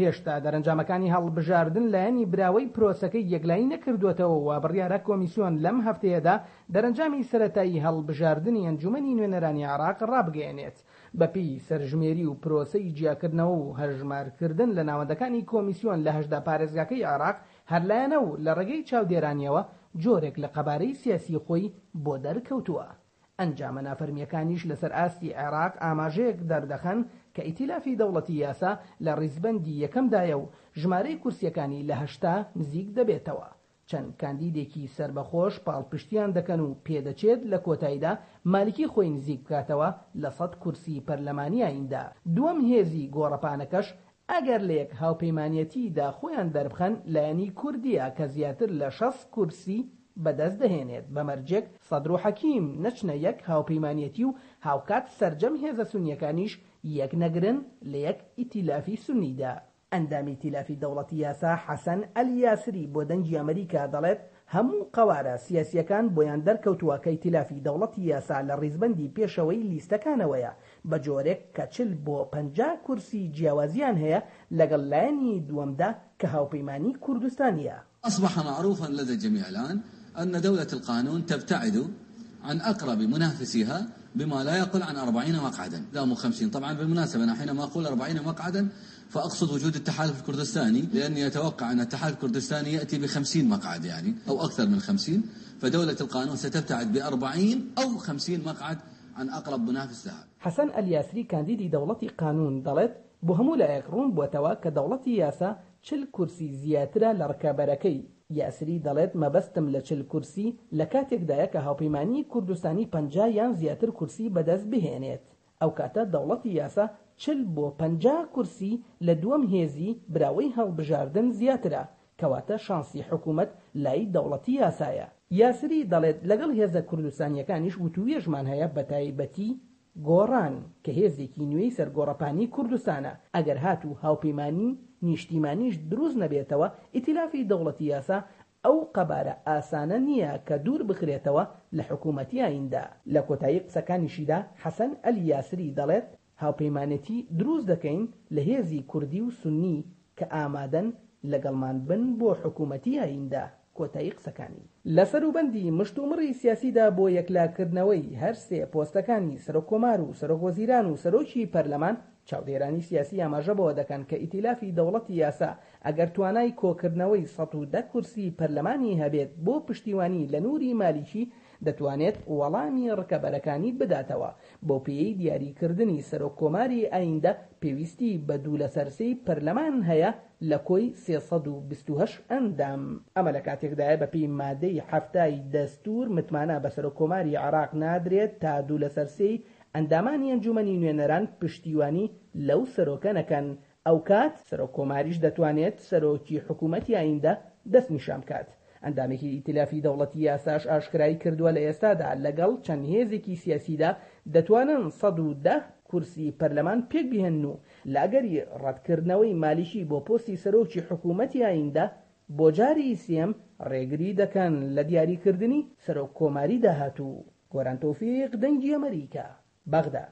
هێشتا دەرەنجامەکانی هەڵبژاردن لایەنی براوەی پرۆسەکەی یەکلایی نەکردووەتەوە و بڕیارە کۆمیسیۆن لەم هەفتەیەدا دەرەنجامی سەرەتایی هەڵبژاردنی ئەنجومەنی نوێنەرانی عێراق ڕابگەیەنێت. بەپێی سەرژمێری و پرۆسەی جیاکردنەوە و هەژمارکردن لە ناوەندەکانی کۆمیسیۆن لە 18 پارێزگاکەی عێراق هەر لایەنە و لە ڕێگەی چاودێرانیەوە جۆرێک لە قەبارەی سیاسی خۆی بۆ دەرکەوتووە. ئەنجامە نافەرمییەکانیش لەسەر ئاستی عێراق ئاماژەیەک دەردەخەن کە ئیتیلافی دەوڵەتی یاسا لە ڕیزبەندی یەکەمدایە و ژمارەی کورسییەکانی لە 80 نزیک دەبێتەوە. چەند کاندیدێکی سەربەخۆش پاڵپشتیان دەکەن و پێدەچێت لە کۆتاییدا مالکی خۆی نزیک بکاتەوە لە 100 کورسی پەرلەمانی ئایندە. دووەم هێزی گۆڕەپانەکەش ئەگەر لە یەک هاوپەیمانیەتیدا خۆیان دەربخەن لایەنی کوردییە کە زیاتر لە 60 کورسی بەدەست دەهێنێت بە مەرجێک سەدر و حەکیم نەچنە یەک هاوپەیمانیەتی و هاوکات سەرجەم هێزە سونییەکانیش یەک نەگرن لە یەک ئیتیلافی سونیدا. ئەندامی ئیتیلافی دەوڵەتی یاسا حەسەن ئەلیاسری بۆ دەنگی ئەمریکا دەڵێت هەموو قەوارە سیاسییەکان بۆیان دەرکەوتووە کە ئیتیلافی دەوڵەتی یاسا لە ڕیزبەندی پێشەوەی لیستەکانەوەیە بە جۆرێک کە 40 بۆ 50 کورسی جیاوازیان هەیە لەگەڵ لایەنی دووەمدا کە هاوپەیمانی کوردستانییە. أصبح معروفا لدى الجميع الآن أن دولة القانون تبتعد عن أقرب منافسيها بما لا يقل عن 40 مقعدا، لا مو 50. طبعا بالمناسبة أنا حينما أقول 40 مقعدا فأقصد وجود التحالف الكردستاني، لأني أتوقع أن التحالف الكردستاني يأتي بخمسين مقعد يعني أو أكثر من 50، فدولة القانون ستبتعد بأربعين أو 50 مقعد عن أقرب منافس لها. حەسەن ئەلیاسری کاندیدی دەوڵەتی قانون دەڵێت بۆ هەموو لایەک ڕوون بووەتەوە کە دەوڵەتی یاسا 40 کورسی زیاترە لە ڕکابەرەکەی. یاسری دەڵێت مەبەستم لە 40 کورسی لە کاتێکدایە کە هاوپەیمانی کوردستانی 50 یان زیاتر کورسی بەدەست بهێنێت. ئەو کاتە دەوڵەتی یاسا 40 بۆ 50 کورسی لە دووەم هێزی براوەی هەڵبژاردن زیاترە، کەواتە شانسی حکوومەت لای دەوڵەتی یاسایە. یاسری دەڵێت لەگەڵ هێزە کوردستانیەکانیش وتووێژمان هەیە بەتایبەتی گۆڕان کە هێزێکی نوێی سەرگۆڕەپانی کوردستانە، ئەگەر هاتوو هاوپەیمانی نیشتیمانیش دروست نەبێتەوە ئیتیلافی دەوڵەتی یاسا ئەو قەبارە ئاسانە نییە کە دوور بخرێتەوە لە حکوومەتی ئایندە. لە کۆتایی قسەکانیشیدا حەسەن ئەلیاسری دەڵێت هاوپەیمانێتی دروست دەکەین لە هێزی کوردی و سوننی کە ئامادەن لەگەڵمان بن بۆ حکوومەتی ئایندە. کۆتایی قسەکانی. لە سەروبەندی مشتومڕی سیاسیدا بۆ یەکلاکردنەوەی هەر سێ پۆستەکانی سەرۆک کۆمار و سەرۆک وەزیران و سەرۆکی پەرلەمان، چاودێرانی سیاسی ئاماژە بەوە دەکەن کە ئیتیلافی دەوڵەتی یاسا ئەگەر توانای کۆکردنەوەی 110 کورسی پەرلەمانی هەبێت بۆ پشتیوانی لە نوری مالیکی دەتوانێت وەڵامی ڕکەبەرەکانی بداتەوە، بەو پێیەی دیاریکردنی سەرۆک کۆماری ئایندە پێویستی بە دوو لەسەر سێی پەرلەمان هەیە لە کۆی 328 ئەندام. ئەمە لە کاتێکدایە بەپێی مادەی 70ی دەستور متمانە بە سەرۆک کۆماری عێراق نادرێت تا دوو لەسەر سێی ئەندامانی ئەنجومەنی نوێنەران پشتیوانی لەو سەرۆکە نەکەن، ئەوکات سەرۆک کۆماریش دەتوانێت سەرۆکی حکوومەتی ئایندە دەستنیشان بکات. ئەندامێکی ئیتیلافی دەوڵەتی یاساش ئاشکرای کردووە لە ئێستادا لەگەڵ چەند هێزێکی سیاسیدا دەتوانن 110 کورسی پەرلەمان پێک بهێنن و لە ئەگەری ڕەتکردنەوەی مالیکی بۆ پۆستی سەرۆکی حکوومەتی ئایندە بۆ جاری سێم ڕێگری دەکەن لە دیاریکردنی سەرۆک کۆماری داهاتوو. گۆران تۆفیق، دەنگی ئەمەریکا، بەغدا.